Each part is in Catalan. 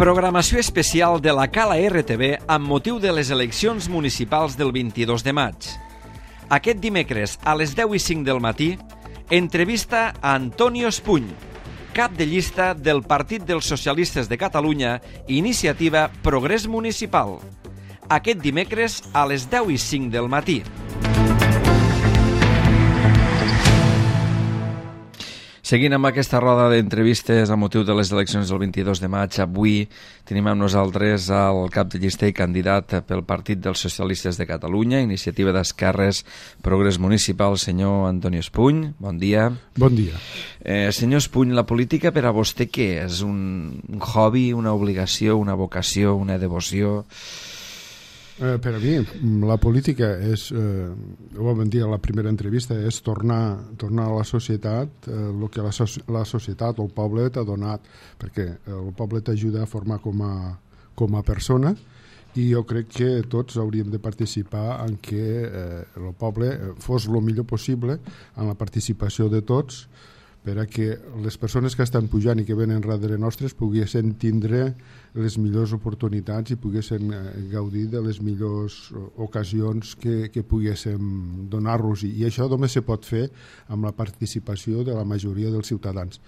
Programació especial de la Cala RTV amb motiu de les eleccions municipals del 22 de maig. Aquest dimecres a les 10:05 del matí, entrevista a Antonio Espuny, cap de llista del Partit dels Socialistes de Catalunya, Iniciativa Progrés Municipal. Aquest dimecres a les 10:05 del matí. Seguint amb aquesta roda d'entrevistes a motiu de les eleccions del 22 de maig, avui tenim amb nosaltres el cap de llista i candidat pel Partit dels Socialistes de Catalunya, Iniciativa d'Esquerres, Progrés Municipal, senyor Antonio Espuny. Bon dia. Bon dia. Senyor Espuny, la política per a vostè què és? Un hobby, una obligació, una vocació, una devoció? Per a mi, la política és, ho vam dir a la primera entrevista, és tornar a la societat el que la societat o el poble t'ha donat, perquè el poble t'ajuda a formar com a persona, i jo crec que tots hauríem de participar en que el poble fos el millor possible en la participació de tots, per a que les persones que estan pujant i que venen darrere nostres poguessin tindre les millors oportunitats i poguessin gaudir de les millors ocasions que poguéssim donar-los. I això només se pot fer amb la participació de la majoria dels ciutadans.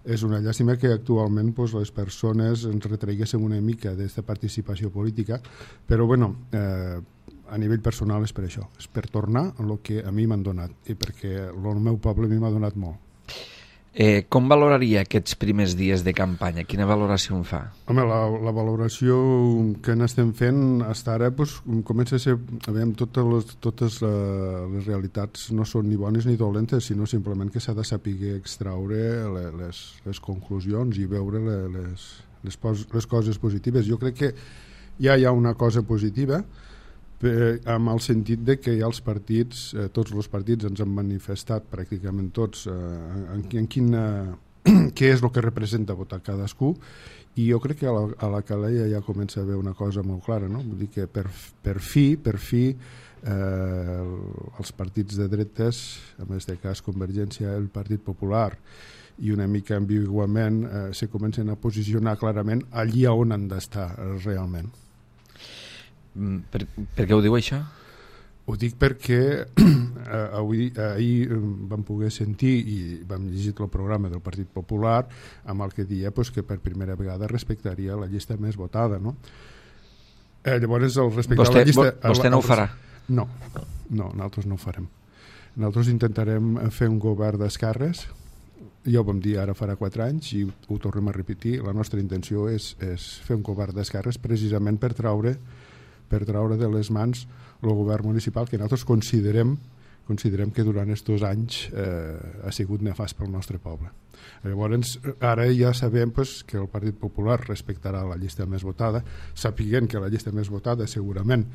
És una llàstima que actualment les persones ens retreguessin una mica d'aquesta participació política, però bueno, a nivell personal és per això, és per tornar a el que a mi m'han donat, i perquè el meu poble a mi m'ha donat molt. Com valoraria aquests primers dies de campanya? Quina valoració en fa? Home, la valoració que n'estem fent fins ara comença a ser... Totes les realitats no són ni bones ni dolentes, sinó simplement que s'ha de saber extraure les conclusions i veure les coses positives. Jo crec que ja hi ha una cosa positiva, amb el sentit de que ja els partits, tots els partits ens han manifestat, pràcticament tots, què és el que representa votar cadascú, i jo crec que a la Calella ja comença a haver una cosa molt clara, no? Vull dir que per fi els partits de dretes, en aquest cas Convergència, el Partit Popular, i una mica ambiguament se comencen a posicionar clarament allí on han d'estar realment. Per què ho diu això? Ho dic perquè ahir vam poder sentir i vam llegir el programa del Partit Popular amb el que deia que per primera vegada respectaria la llista més votada, no? Llavors, el respectar la llista... Vostè no ho farà? No, nosaltres no ho farem. Nosaltres intentarem fer un govern d'esquerres. Ja ho vam dir ara farà 4 anys i ho tornem a repetir. La nostra intenció és fer un govern d'esquerres precisament per treure de les mans el govern municipal, que nosaltres considerem que durant aquests anys ha sigut nefast pel nostre poble. Llavors, ara ja sabem que el Partit Popular respectarà la llista més votada, sapiguent que la llista més votada segurament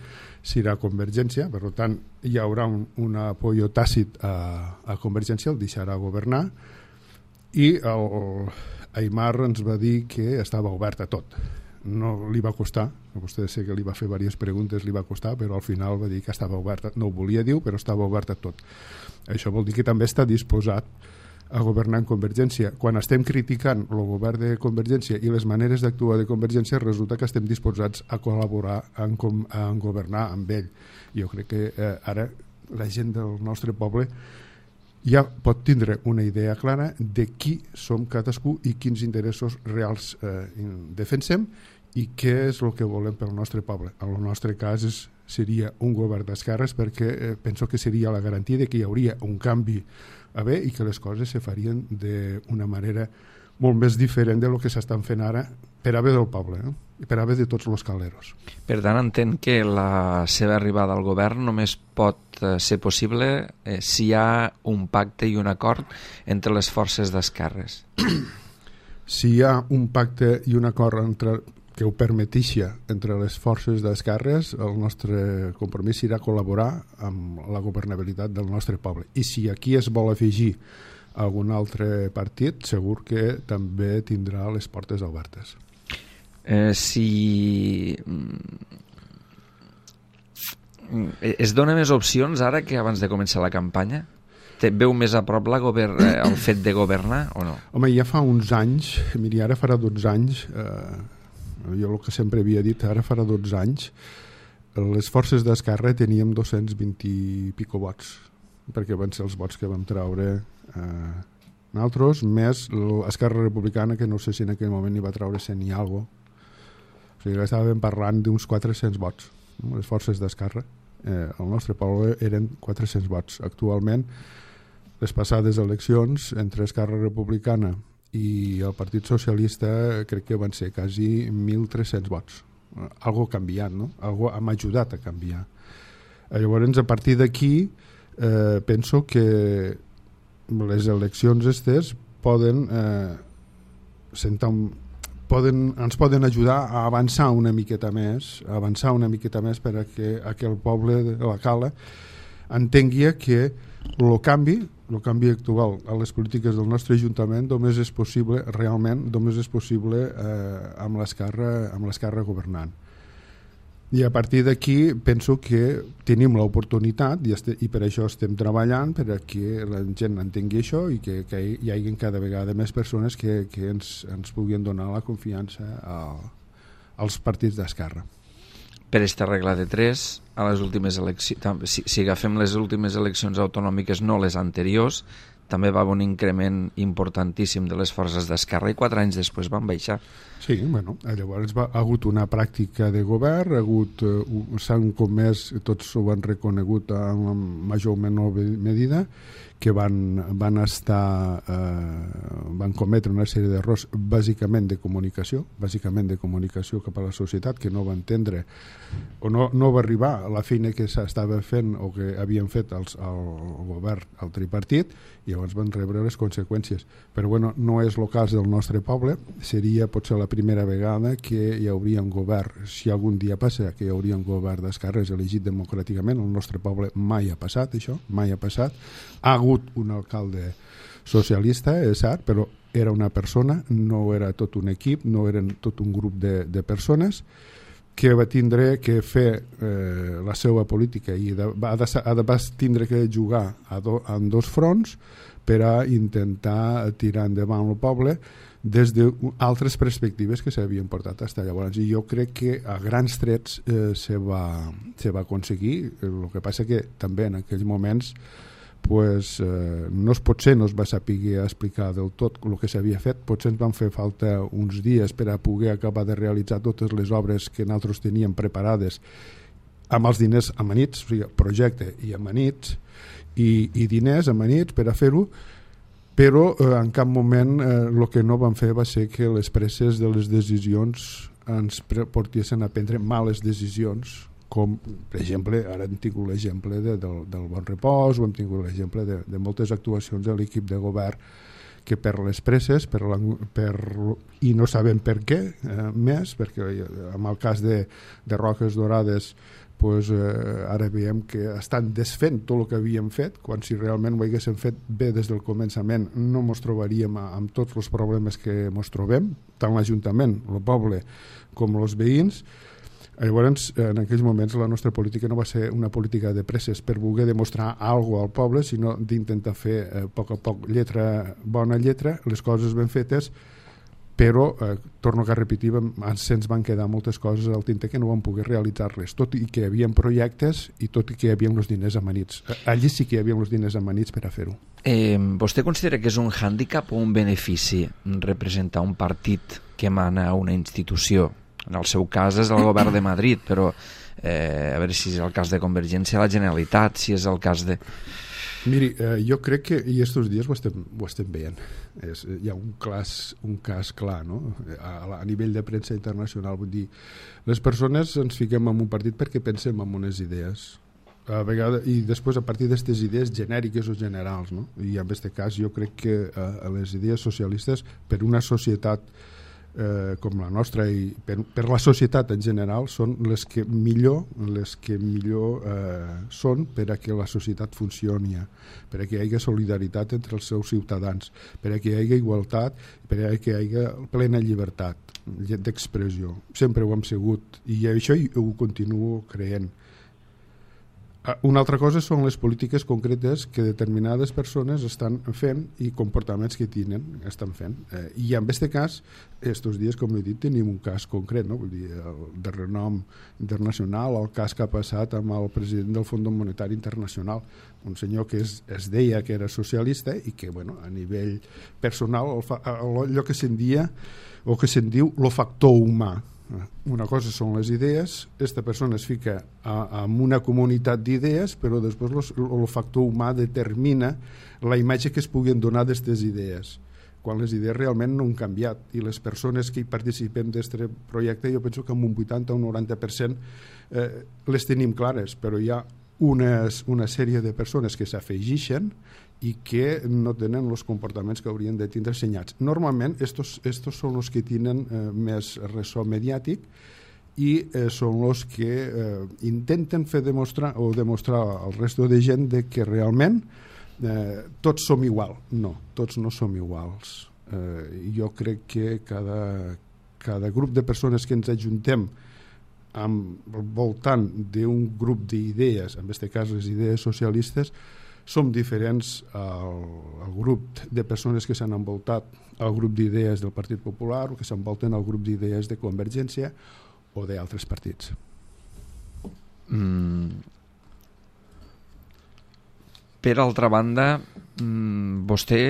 serà Convergència, per tant hi haurà un apoyo tàcit a Convergència, el deixarà governar, i Aimar ens va dir que estava obert a tot. No li va costar, vostè sé que li va fer diverses preguntes, li va costar, però al final va dir que estava obert, no ho volia dir, però estava obert a tot. Això vol dir que també està disposat a governar en Convergència. Quan estem criticant el govern de Convergència i les maneres d'actuar de Convergència, resulta que estem disposats a col·laborar en governar amb ell. Jo crec que ara la gent del nostre poble ja pot tindre una idea clara de qui som cadascú i quins interessos reals defensem i què és el que volem pel nostre poble. En el nostre cas seria un govern d'esquerres, perquè penso que seria la garantia de que hi hauria un canvi a bé i que les coses se farien d'una manera molt més diferent del que s'estan fent ara per a bé del poble, no? I per a bé de tots els caleros. Per tant, entenc que la seva arribada al govern només pot ser possible si hi ha un pacte i un acord entre les forces d'esquerres. Si hi ha un pacte i un acord que ho permeteixi entre les forces d'esquerres, el nostre compromís serà col·laborar amb la governabilitat del nostre poble. I si aquí es vol afegir algun altre partit, segur que també tindrà les portes obertes. Si es dona més opcions ara que abans de començar la campanya? Veu més a prop el fet de governar o no? Home, ja fa uns anys, miri, ara farà 12 anys, Jo el que sempre havia dit, ara farà 12 anys, les forces d'Esquerra teníem 220 i pico vots, perquè van ser els vots que vam treure nosaltres, més l'Esquerra Republicana, que no sé si en aquell moment hi va treure 100 i alguna cosa. O sigui que estàvem parlant d'uns 400 vots, no? Les forces d'Esquerra. El nostre poble eren 400 vots. Actualment, les passades eleccions entre Esquerra Republicana i el Partit Socialista crec que van ser quasi 1.300 vots. Algo ha canviat, no? Algo hem ajudat a canviar. Llavors, a partir d'aquí, penso que les eleccions estes ens poden ajudar a avançar una miqueta més per a que el poble de la Cala entengui que el canvi actual a les polítiques del nostre Ajuntament només és possible amb l'Esquerra governant. I a partir d'aquí penso que tenim l'oportunitat i per això estem treballant per a que la gent entengui això i que hi hagi cada vegada més persones que ens puguin donar la confiança als partits d'Esquerra. Per aquesta regla de 3, a les últimes eleccions, si agafem les últimes eleccions autonòmiques, no les anteriors, també va haver un increment importantíssim de les forces d'Esquerra i 4 anys després van baixar. Sí, bueno, llavors ha hagut una pràctica de govern, s'han comès, tots ho han reconegut en major o menor medida, que van cometre una sèrie d'errors bàsicament de comunicació cap a la societat, que no va entendre o no va arribar a la feina que s'estava fent o que havien fet el govern, el tripartit, i llavors van rebre les conseqüències. Però bueno, no és el cas del nostre poble, seria potser la primera vegada que hi hauria un govern, si algun dia passa que hi hauria un govern d'esquerres elegit democràticament. El nostre poble mai ha passat això, mai ha passat. Ha hagut un alcalde socialista, és cert, però era una persona, no era tot un equip, no eren tot un grup de persones que va tindre que fer la seva política i va tindre que jugar en 2 fronts per a intentar tirar endavant el poble des d'altres perspectives que s'havien portat fins llavors. I jo crec que a grans trets se va aconseguir. El que passa que també en aquells moments potser no es va saber explicar del tot el que s'havia fet, potser ens van fer falta uns dies per a poder acabar de realitzar totes les obres que nosaltres teníem preparades amb els diners amanits, o sigui, projecte i amanits i diners amanits per a fer-ho, però en cap moment el que no van fer va ser que les presses de les decisions ens portessin a prendre males decisions, com per exemple, ara hem tingut l'exemple del Bon Repòs, o hem tingut l'exemple de moltes actuacions de l'equip de govern que per les presses i no sabem per què més, perquè en el cas de Roques Dorades ara veiem que estan desfent tot el que havíem fet, quan si realment ho haguéssim fet bé des del començament no ens trobaríem amb tots els problemes que ens trobem, tant l'Ajuntament, el poble com els veïns. Llavors, en aquells moments la nostra política no va ser una política de presses per voler demostrar alguna cosa al poble, sinó d'intentar fer a poc, bona lletra, les coses ben fetes, però, torno a repetir, se'ns van quedar moltes coses al tinter que no vam poder realitzar-les, tot i que hi havia projectes i tot i que hi havia els diners amanits. Allí sí que hi havia els diners amanits per a fer-ho. Vostè considera que és un hàndicap o un benefici representar un partit que emana a una institució? En el seu cas és el govern de Madrid, però a veure si és el cas de Convergència a la Generalitat, si és el cas de... Miri, jo crec que i estos dies ho estem veient. Hi ha un cas clar, no? A nivell de premsa internacional, vull dir, les persones ens fiquem en un partit perquè pensem en unes idees a vegades, i després a partir d'aquestes idees genèriques o generals, no? I en aquest cas jo crec que les idees socialistes per una societat com la nostra i per la societat en general són les que millor són per a que la societat funcioni, per a que hi hagi solidaritat entre els seus ciutadans, per a que hi hagi igualtat, per a que hi hagi plena llibertat d'expressió. Sempre ho hem sigut i això ho continuo creient. Una altra cosa són les polítiques concretes que determinades persones estan fent i comportaments que estan fent. I en aquest cas, estos dies, com he dit, tenim un cas concret, no? Vull dir, de renom internacional, el cas que ha passat amb el president del Fons Monetari Internacional, un senyor que es deia que era socialista i que, bueno, a nivell personal, allò que se'n diu el factor humà. Una cosa són les idees, aquesta persona es fica en una comunitat d'idees, però després el factor humà determina la imatge que es puguin donar d'aquestes idees, quan les idees realment no han canviat, i les persones que hi participen d'aquest projecte jo penso que amb un 80 o un 90% les tenim clares, però hi ha una sèrie de persones que s'afegeixen i que no tenen els comportaments que haurien de tindre assenyats. Normalment, estos són els que tenen més ressò mediàtic i són els que intenten demostrar al resto de gent que realment tots som igual. No, tots no som iguals. Jo crec que cada grup de persones que ens ajuntem al voltant d'un grup d'idees, en aquest cas les idees socialistes, som diferents al grup de persones que s'han envoltat al grup d'idees del Partit Popular o que s'envolten al grup d'idees de Convergència o d'altres partits. Per altra banda, vostè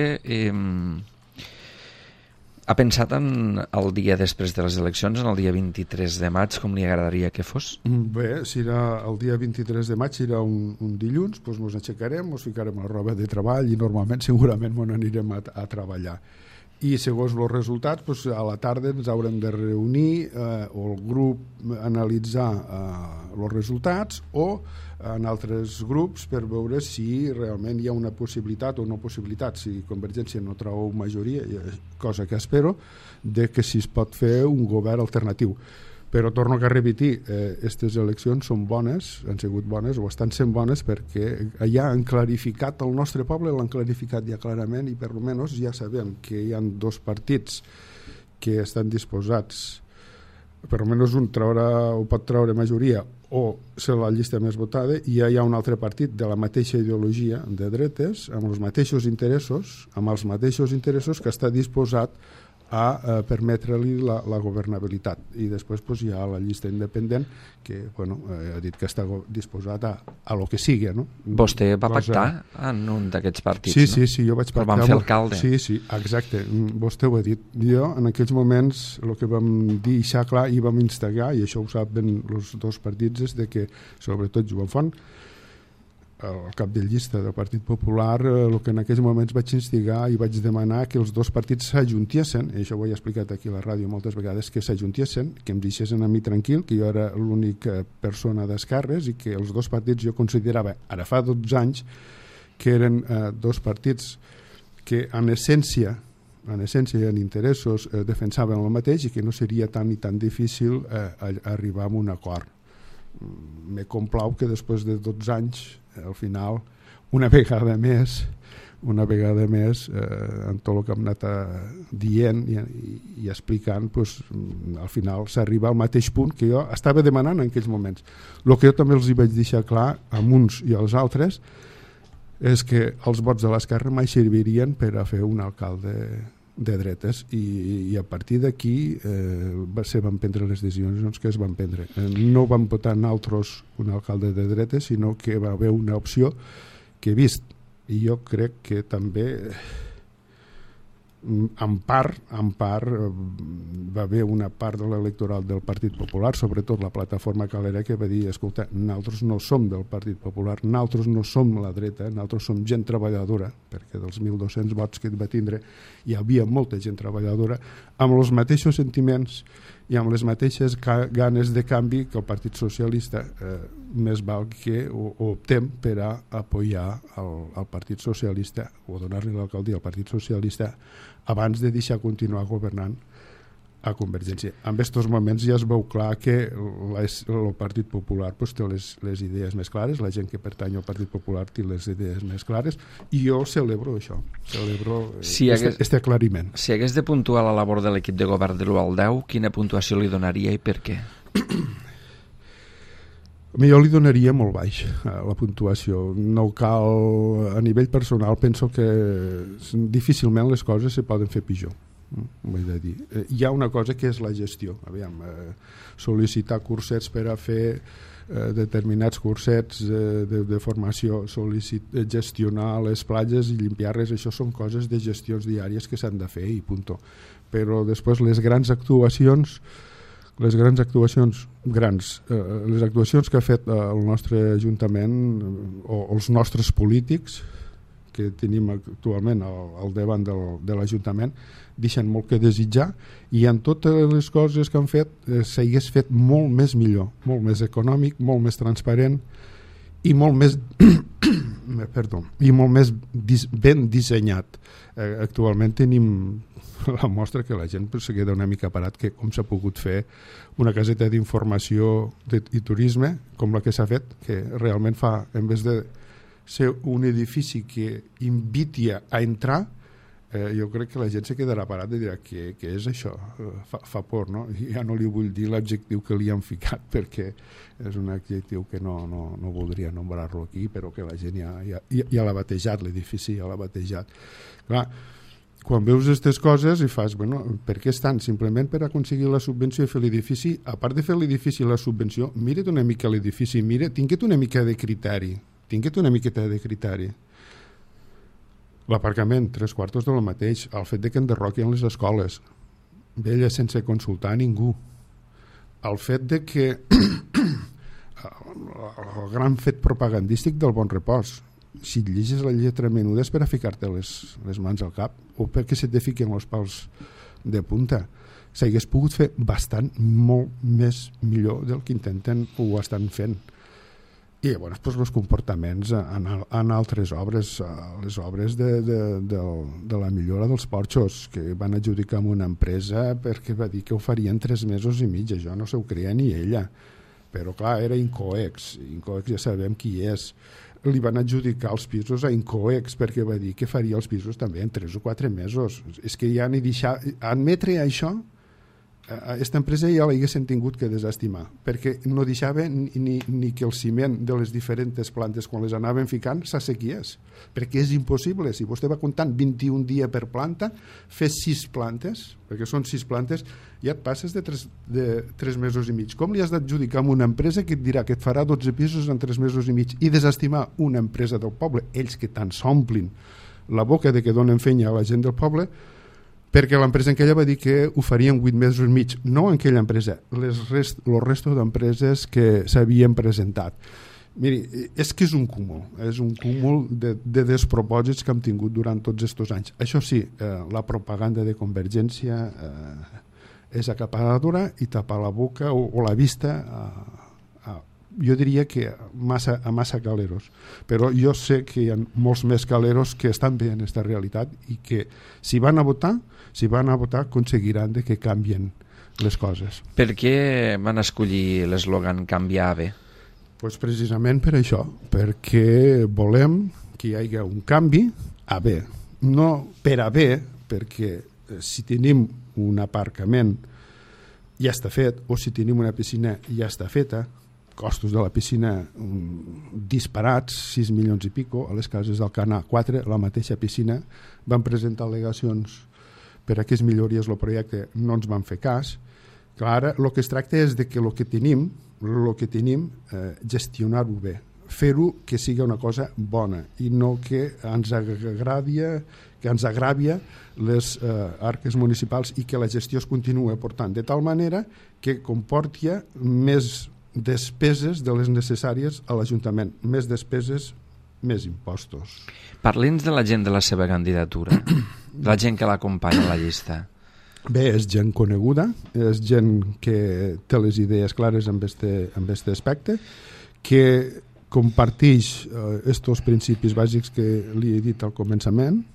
ha pensat en el dia després de les eleccions, en el dia 23 de maig, com li agradaria que fos? Bé, si era el dia 23 de maig, serà un dilluns, doncs ens aixecarem, ens ficarem a la roba de treball i normalment segurament ens anirem a treballar. I segons els resultats, doncs a la tarda ens haurem de reunir o el grup analitzar els resultats o en altres grups per veure si realment hi ha una possibilitat o no possibilitat, si Convergència no treu majoria, cosa que espero, de que si es pot fer un govern alternatiu. Però torno a repetir, aquestes eleccions són bones, han sigut bones o estan sent bones perquè ja han clarificat el nostre poble, l'han clarificat ja clarament i per almenys ja sabem que hi ha dos partits que estan disposats, per almenys un pot treure majoria o ser la llista més votada, i ja hi ha un altre partit de la mateixa ideologia de dretes, amb els mateixos interessos que està disposat a permetre-li la governabilitat. I després hi ha la llista independent que ha dit que està disposat a lo que sigui. No? Vostè va pactar en un d'aquests partits, no? Sí, jo vaig pactar. Però van fer alcalde. Sí, exacte. Vostè ho ha dit. Jo, en aquells moments, el que vam dir clar i vam instigar, i això ho saben els dos partits, és de que, sobretot Joan Font, el cap de llista del Partit Popular, el que en aquells moments vaig instigar i vaig demanar que els dos partits s'ajuntessin, i això ho he explicat aquí a la ràdio moltes vegades, que s'ajuntessin, que em deixessin a mi tranquil, que jo era l'única persona d'esquerres i que els dos partits jo considerava, ara fa 12 anys, que eren dos partits que en essència i en interessos defensaven el mateix i que no seria tan i tan difícil arribar a un acord. Me complau que després de 12 anys al final, una vegada més en tot el que hem anat dient i explicant, al final s'arriba al mateix punt que jo estava demanant en aquells moments. El que jo també els hi vaig deixar clar amb uns i als altres és que els vots de l'esquerra mai servirien per a fer un alcalde de dretes i a partir d'aquí se van prendre les decisions que es van prendre. No vam votar nosaltres un alcalde de dretes, sinó que va haver una opció que he vist, i jo crec que també en part va haver una part de l'electoral del Partit Popular, sobretot la plataforma calera, que va dir, escolta, nosaltres no som del Partit Popular, nosaltres no som la dreta, nosaltres som gent treballadora, perquè dels 1.200 vots que va tindre hi havia molta gent treballadora amb els mateixos sentiments i amb les mateixes ganes de canvi que el Partit Socialista. Més val que optem per a apoyar el Partit Socialista o donar-li l'alcaldia al Partit Socialista abans de deixar continuar governant a Convergència. En aquests moments ja es veu clar que el Partit Popular té les idees més clares, la gent que pertany al Partit Popular té les idees més clares, i jo celebro això, aquest aclariment. Si hagués de puntuar la labor de l'equip de govern de l'1 al 10, quina puntuació li donaria i per què? Jo li donaria molt baix la puntuació. No cal, a nivell personal penso que difícilment les coses se poden fer pitjor. Vull dir. Hi ha una cosa que és la gestió. Aviam, sol·licitar cursets per a fer determinats cursets de formació, gestionar les platges i limpiar-les, això són coses de gestions diàries que s'han de fer i punto. Però després les actuacions que ha fet el nostre Ajuntament o els nostres polítics que tenim actualment al davant de l'Ajuntament deixen molt que desitjar, i en totes les coses que han fet s'hagués fet molt més millor, molt més econòmic, molt més transparent i molt més ben dissenyat. Actualment tenim la mostra que la gent se queda una mica parat que com s'ha pogut fer una caseta d'informació i turisme com la que s'ha fet, que realment fa, en vez de ser un edifici que inviti a entrar, jo crec que la gent se quedarà parat i dirà què és això, fa por, no? Ja no li vull dir l'adjectiu que li han ficat perquè és un adjectiu que no voldria nombrar-lo aquí, però que la gent ja l'ha batejat, l'edifici ja l'ha batejat. Clar, quan veus aquestes coses i fas, bueno, per què estan? Simplement per aconseguir la subvenció i fer l'edifici. A part de fer l'edifici i la subvenció, mira't una mica l'edifici, tinguet una mica de criteri, l'aparcament, 3/4 de lo mateix, el fet de que enderroquin les escoles, vella sense consultar a ningú, el fet de que el gran fet propagandístic del Bon Repòs, si et llegis la lletra menuda és per a ficar-te les mans al cap o perquè se te fiquen els pals de punta. S'hagués pogut fer molt més millor del que intenten o ho estan fent. I llavors els comportaments en altres obres, les obres de la millora dels porxos, que van adjudicar a una empresa perquè va dir que ho farien 3 mesos i mig, això no s'ho creia ni ella, però clar, era Incoex ja sabem qui és. Li van adjudicar els pisos a Incoex perquè va dir que faria els pisos també en 3 o 4 mesos. És que ja ni deixar, admetre això, aquesta empresa ja l'haguessin tingut que desestimar, perquè no deixava ni que el ciment de les diferents plantes, quan les anaven ficant, s'assequiés, perquè és impossible. Si vostè va comptant 21 dies per planta, fes 6 plantes, perquè són 6 plantes, ja et passes de 3 mesos i mig. Com li has d'adjudicar a una empresa que et dirà que et farà 12 pisos en 3 mesos i mig, i desestimar una empresa del poble, ells que tant s'omplin la boca de que donen feina a la gent del poble, perquè l'empresa en aquella va dir que ho farien 8 mesos i mig, no en aquella empresa, el resto d'empreses que s'havien presentat. Miri, és que és un cúmul de despropòsits que hem tingut durant tots aquests anys. Això sí, la propaganda de Convergència és acaparadora i tapar la boca o la vista jo diria que a massa caleros, però jo sé que hi ha molts més caleros que estan bé en aquesta realitat i que si van a votar aconseguiran que canvien les coses. Per què van escollir l'eslògan canviar bé? Pues precisament per això, perquè volem que hi hagi un canvi a bé, no per a bé, perquè si tenim un aparcament ja està fet, o si tenim una piscina ja està feta, costos de la piscina disparats, 6 milions i pico, a les cases del Canà 4, la mateixa piscina, van presentar al·legacions per a que es millories el projecte, no ens van fer cas. Clar, ara el que es tracta és de que el que tenim gestionar-ho bé, fer-ho que sigui una cosa bona i no que ens agràvia les arques municipals i que la gestió es continua portant de tal manera que comporti més despeses de les necessàries a l'Ajuntament, més despeses, més impostos. Parli'ns de la gent de la seva candidatura, de la gent que l'acompanya a la llista. Bé, és gent coneguda, és gent que té les idees clares amb aquest aspecte, que comparteix estos principis bàsics que li he dit al començament,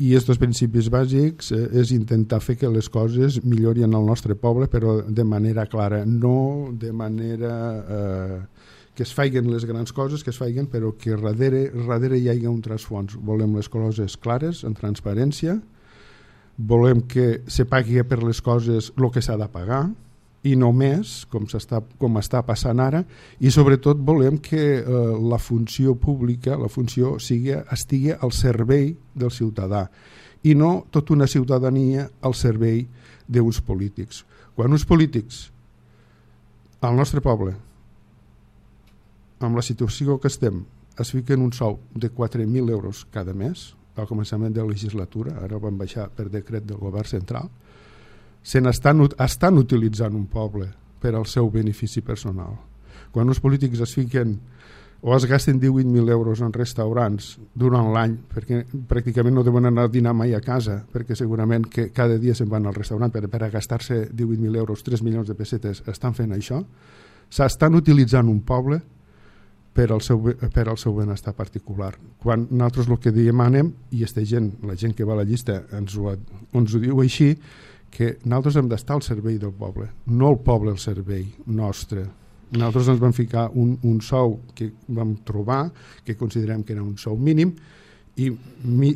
i aquests principis bàsics és intentar fer que les coses millorin al nostre poble, però de manera clara, no de manera que es faiguen les grans coses, que es faiguen, però que darrere hi hagi un trasfons. Volem les coses clares, en transparència, volem que se pagui per les coses el que s'ha de pagar, i només, com està passant ara, i sobretot volem que la funció pública, la funció estigui al servei del ciutadà i no tota una ciutadania al servei d'uns polítics. Quan uns polítics al nostre poble, amb la situació que estem, es fiquen un sou de 4.000 euros cada mes, al començament de la legislatura, ara van baixar per decret del govern central, estan utilitzant un poble per al seu benefici personal. Quan els polítics es fiquen o es gasten 18.000 euros en restaurants durant l'any, perquè pràcticament no deuen anar a dinar mai a casa, perquè segurament que cada dia se'n van al restaurant per a gastar-se 18.000 euros, 3 milions de pessetes, estan fent això. S'estan utilitzant un poble per al seu benestar particular. Quan nosaltres el que demanem, i la gent que va a la llista ens ho diu així, que nosaltres hem d'estar al servei del poble, no el poble al servei nostre. Nosaltres ens vam ficar un sou que vam trobar, que considerem que era un sou mínim, i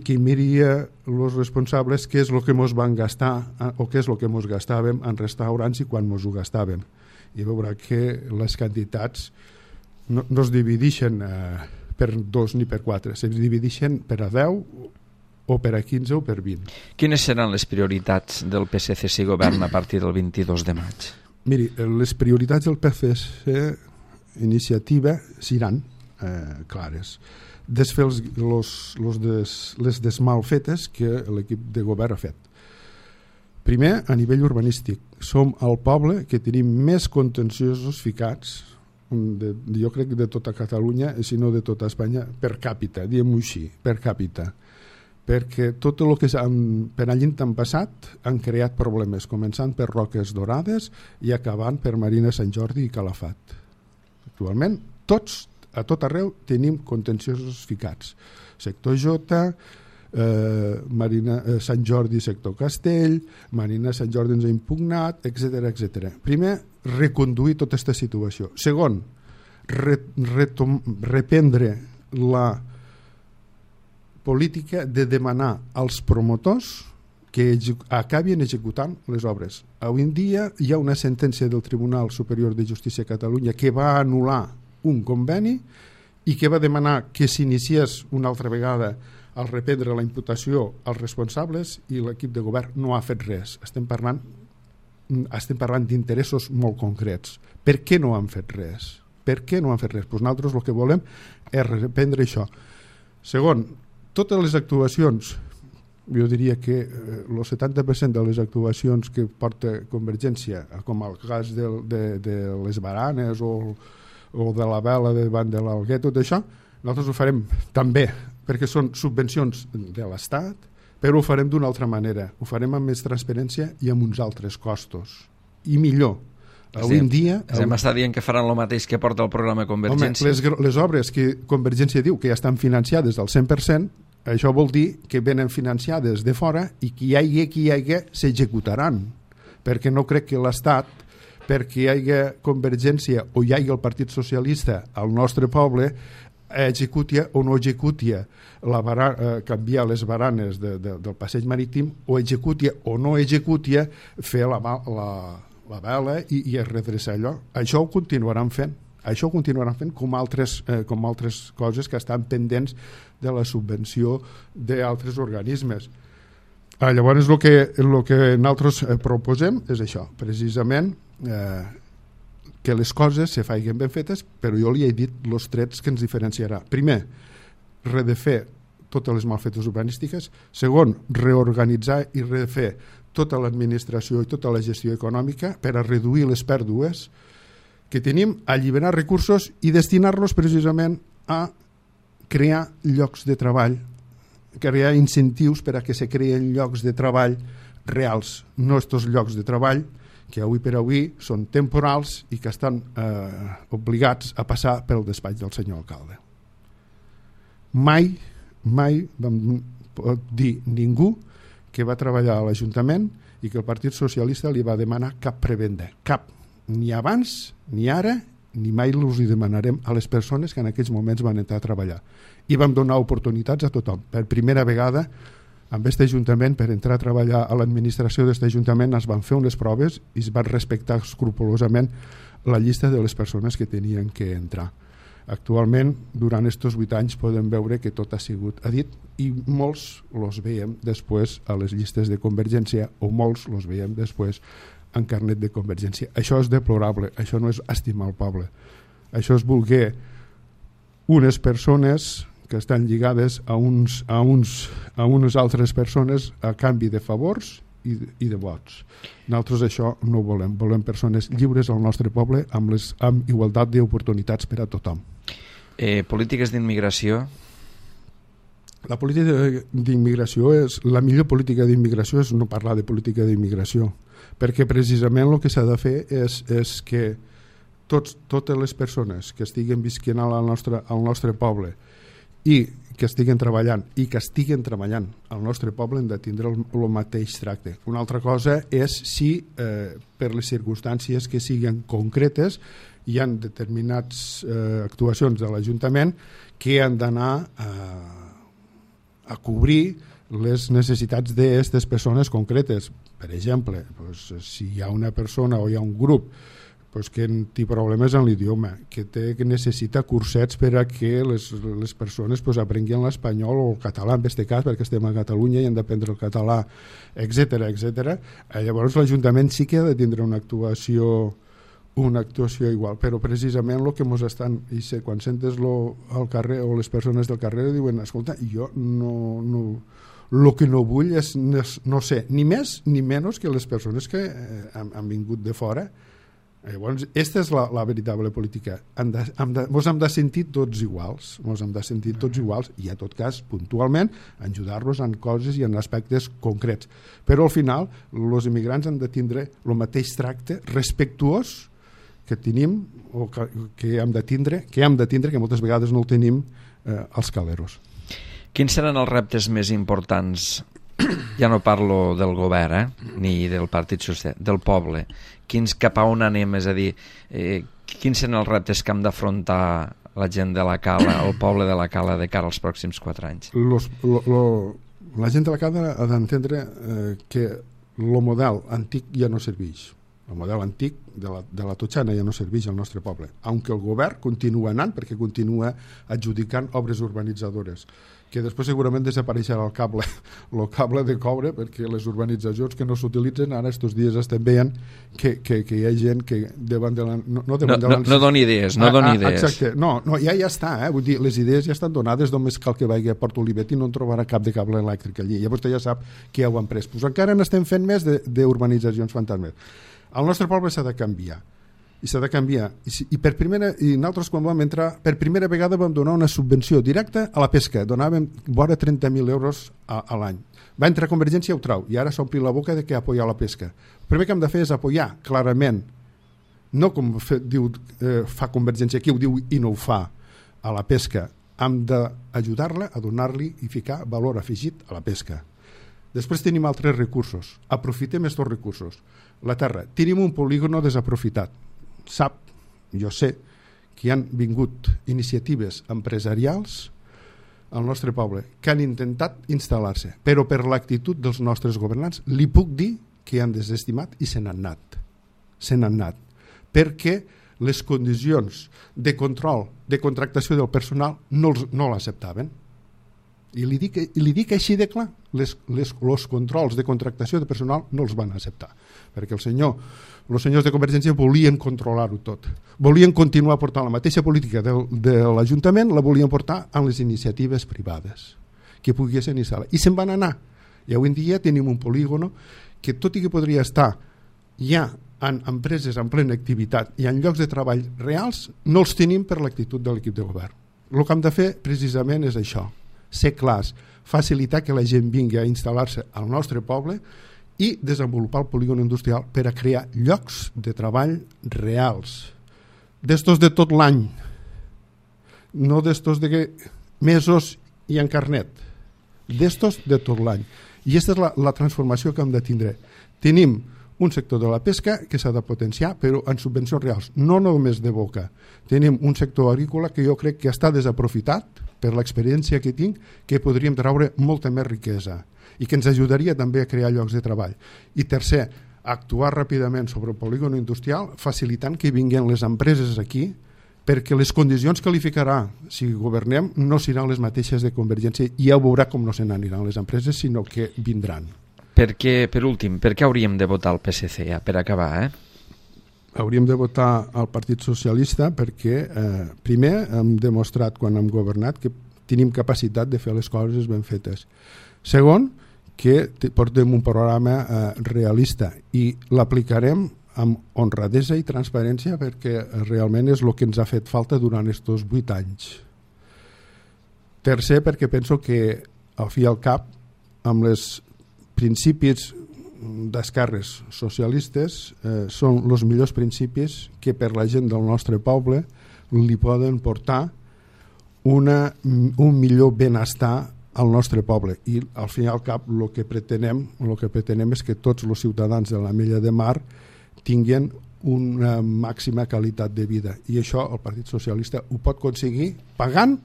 que miria els responsables què és el que ens van gastar o què és el que ens gastàvem en restaurants i quan ens ho gastàvem. I veurà que les quantitats no es divideixen per 2 ni per 4, se divideixen per a 10 o per a 15 o per 20. Quines seran les prioritats del PSC si governa a partir del 22 de maig? Miri, les prioritats del PSC iniciativa seran clares. Desfer les desmalfetes que l'equip de govern ha fet. Primer, a nivell urbanístic, som el poble que tenim més contenciosos ficats, jo crec de tota Catalunya, si no de tota Espanya, per càpita, diguem-ho així, per càpita. Perquè tot el que per allí han passat han creat problemes, començant per Roques Dorades i acabant per Marina Sant Jordi i Calafat. Actualment, a tot arreu tenim contenciosos ficats. Sector J, Marina Sant Jordi, sector Castell, Marina Sant Jordi ens ha impugnat, etc. Primer, reconduir tota aquesta situació. Segon, reprendre la política de demanar als promotors que acabin executant les obres. Avui en dia hi ha una sentència del Tribunal Superior de Justícia de Catalunya que va anul·lar un conveni i que va demanar que s'iniciés una altra vegada al reprendre la imputació als responsables, i l'equip de govern no ha fet res. Estem parlant d'interessos molt concrets. Per què no han fet res? Pues nosaltres el que volem és reprendre això. Segon, totes les actuacions, jo diria que el 70% de les actuacions que porta Convergència, com el cas de les baranes o de la vela davant de l'Alguer, tot això, nosaltres ho farem també, perquè són subvencions de l'Estat, però ho farem d'una altra manera, ho farem amb més transparència i amb uns altres costos, i millor. Avui en dia... M'està dient que faran el mateix que porta el programa Convergència. Home, les obres que Convergència diu que ja estan financiades al 100%, això vol dir que venen financiades de fora i que hi hagi s'executaran, perquè no crec que l'Estat, perquè hi hagi Convergència o hi hagi el Partit Socialista al nostre poble, executia o no executia canviar les baranes del passeig marítim, o executia o no executia fer la vela i redreçar allò. Això ho continuaran fent. Això ho continuaran fent com altres coses que estan pendents de la subvenció d'altres organismes. Llavors el que nosaltres proposem és això, precisament que les coses se facin ben fetes, però jo li he dit els trets que ens diferenciarà. Primer, redefer totes les malfetes urbanístiques. Segon, reorganitzar i refer tota l'administració i tota la gestió econòmica per a reduir les pèrdues que tenim, alliberar recursos i destinar-los precisament a crear llocs de treball, crear incentius per a que se creen llocs de treball reals, no estos llocs de treball que avui per avui són temporals i que estan obligats a passar pel despatx del senyor alcalde. Mai vam dir ningú que va treballar a l'Ajuntament i que el Partit Socialista li va demanar cap prebenda, cap, ni abans, ni ara, ni mai els hi demanarem a les persones que en aquells moments van entrar a treballar. I vam donar oportunitats a tothom. Per primera vegada Amb aquest Ajuntament, per entrar a treballar a l'administració d'aquest Ajuntament, es van fer unes proves i es van respectar escrupolosament la llista de les persones que tenien que entrar. Actualment, durant aquests 8 anys, podem veure que tot ha sigut dit i molts els veiem després a les llistes de Convergència o molts els veiem després en carnet de Convergència. Això és deplorable, això no és estimar el poble. Això és voler unes persones que estan lligades a unes altres persones a canvi de favors i de vots. Nosaltres això no volem. Volem persones lliures al nostre poble amb igualtat d'oportunitats per a tothom. Polítiques d'immigració? La política d'immigració la millor política d'immigració és no parlar de política d'immigració, perquè precisament el que s'ha de fer és que totes les persones que estiguen visquent al nostre poble i que estiguen treballant al nostre poble han de tindre el mateix tracte. Una altra cosa és si per les circumstàncies que siguin concretes hi ha determinades actuacions de l'Ajuntament que han d'anar a cobrir les necessitats d'aquestes persones concretes. Per exemple, si hi ha una persona o hi ha un grup que té problemes en l'idioma, que necessita cursets per a que les persones aprenguin l'espanyol o el català, en aquest cas, perquè estem a Catalunya i han d'aprendre el català, etc. Llavors l'Ajuntament sí que ha de tindre una actuació igual, però precisament el que ens estan, i quan sentes al carrer o les persones del carrer diuen, escolta, jo el que no vull és no sé, ni més ni menys que les persones que han vingut de fora. Llavors, aquesta és la veritable política. Ens hem de sentir tots iguals, i en tot cas, puntualment, ajudar-los en coses i en aspectes concrets. Però al final, els immigrants han de tindre el mateix tracte respectuós que tenim o que hem de tindre, que moltes vegades no el tenim als caleros. Quins seran els reptes més importants? Ja no parlo del govern, ni del Partit Socialista, del poble. Cap a on anem? És a dir, quins seran els reptes que hem d'afrontar la gent de la Cala, el poble de la Cala, de cara als pròxims 4 anys? La gent de la Cala ha d'entendre que el model antic ja no serveix. El model antic de la Totxana ja no serveix al nostre poble, aunque el govern continua anant perquè continua adjudicant obres urbanitzadores, que després segurament desapareixerà el cable de cobre, perquè les urbanitzacions que no s'utilitzen ara estos dies estem veient que hi ha gent que davant de la... No doni idees, no doni idees. Exacte, no, ja està, vull dir, les idees ja estan donades, només cal que vagi a Port Olivet i no en trobarà cap de cable elèctric allí, llavors ja sap que ja ho han pres. Pues encara n'estem fent més d'urbanitzacions fantasmes. El nostre poble s'ha de canviar, i nosaltres quan vam entrar per primera vegada vam donar una subvenció directa a la pesca, donàvem vora 30.000 euros a l'any. Va entrar Convergència i ho trau, i ara s'ompli la boca de que apoyar la pesca. El primer que hem de fer és apoyar clarament, no com fa Convergència, qui ho diu i no ho fa, a la pesca. Hem d'ajudar-la a donar-li i ficar valor afegit a la pesca. Després tenim altres recursos. Aprofitem aquests recursos. La terra. Tenim un polígono desaprofitat. Jo sé que hi han vingut iniciatives empresarials al nostre poble que han intentat instal·lar-se, però per l'actitud dels nostres governants li puc dir que han desestimat i se n'han anat. Perquè les condicions de control, de contractació del personal no l'acceptaven. I li dic així de clar, els controls de contractació de personal no els van acceptar, perquè els senyors de Convergència volien controlar-ho tot, volien continuar portant la mateixa política de l'Ajuntament, la volien portar en les iniciatives privades que poguessin instal·lar, i se'n van anar. I avui en dia tenim un polígono que, tot i que podria estar ja en empreses en plena activitat i en llocs de treball reals, no els tenim per l'actitud de l'equip de govern. El que hem de fer precisament és això, ser clars, facilitar que la gent vingui a instal·lar-se al nostre poble i desenvolupar el polígon industrial per a crear llocs de treball reals, d'estos de tot l'any, no d'estos de mesos i en carnet, d'estos de tot l'any. I aquesta és la transformació que hem de tindre. Tenim un sector de la pesca que s'ha de potenciar, però en subvencions reals, no només de boca. Tenim un sector agrícola que jo crec que està desaprofitat, per l'experiència que tinc, que podríem treure molta més riquesa i que ens ajudaria també a crear llocs de treball. I tercer, actuar ràpidament sobre el polígon industrial, facilitant que vinguin les empreses aquí, perquè les condicions que li ficarà si governem no seran les mateixes de Convergència, i ja ho veurà com no se n'aniran les empreses, sinó que vindran. Per últim, per què hauríem de votar el PSC, ja, per acabar, Hauríem de votar al Partit Socialista perquè, primer, hem demostrat quan hem governat que tenim capacitat de fer les coses ben fetes. Segon, que portem un programa realista i l'aplicarem amb honradesa i transparència perquè realment és el que ens ha fet falta durant aquests 8 anys. Tercer, perquè penso que al fi i al cap, amb els principis d'esquerres socialistes són els millors principis que per la gent del nostre poble li poden portar un millor benestar al nostre poble, i al fin i al cap el que pretenem és que tots els ciutadans de l'Ametlla de Mar tinguin una màxima qualitat de vida, i això el Partit Socialista ho pot aconseguir pagant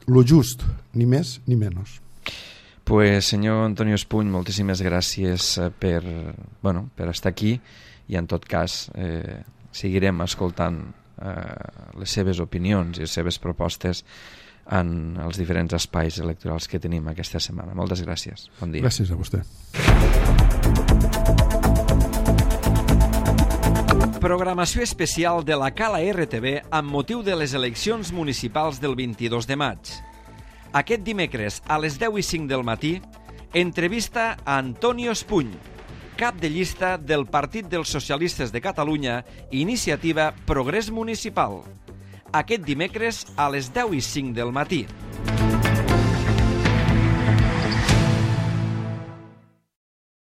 lo just, ni més ni menys. Pues, senyor Antonio Espuny, moltíssimes gràcies per estar aquí, i en tot cas seguirem escoltant les seves opinions i les seves propostes en els diferents espais electorals que tenim aquesta setmana. Moltes gràcies. Bon dia. Gràcies a vostè. Programació especial de la Cala RTV amb motiu de les eleccions municipals del 22 de maig. Aquest dimecres a les 10:05 del matí, entrevista a Antonio Espuny, cap de llista del Partit dels Socialistes de Catalunya, Iniciativa Progrés Municipal. Aquest dimecres a les 10:05 del matí.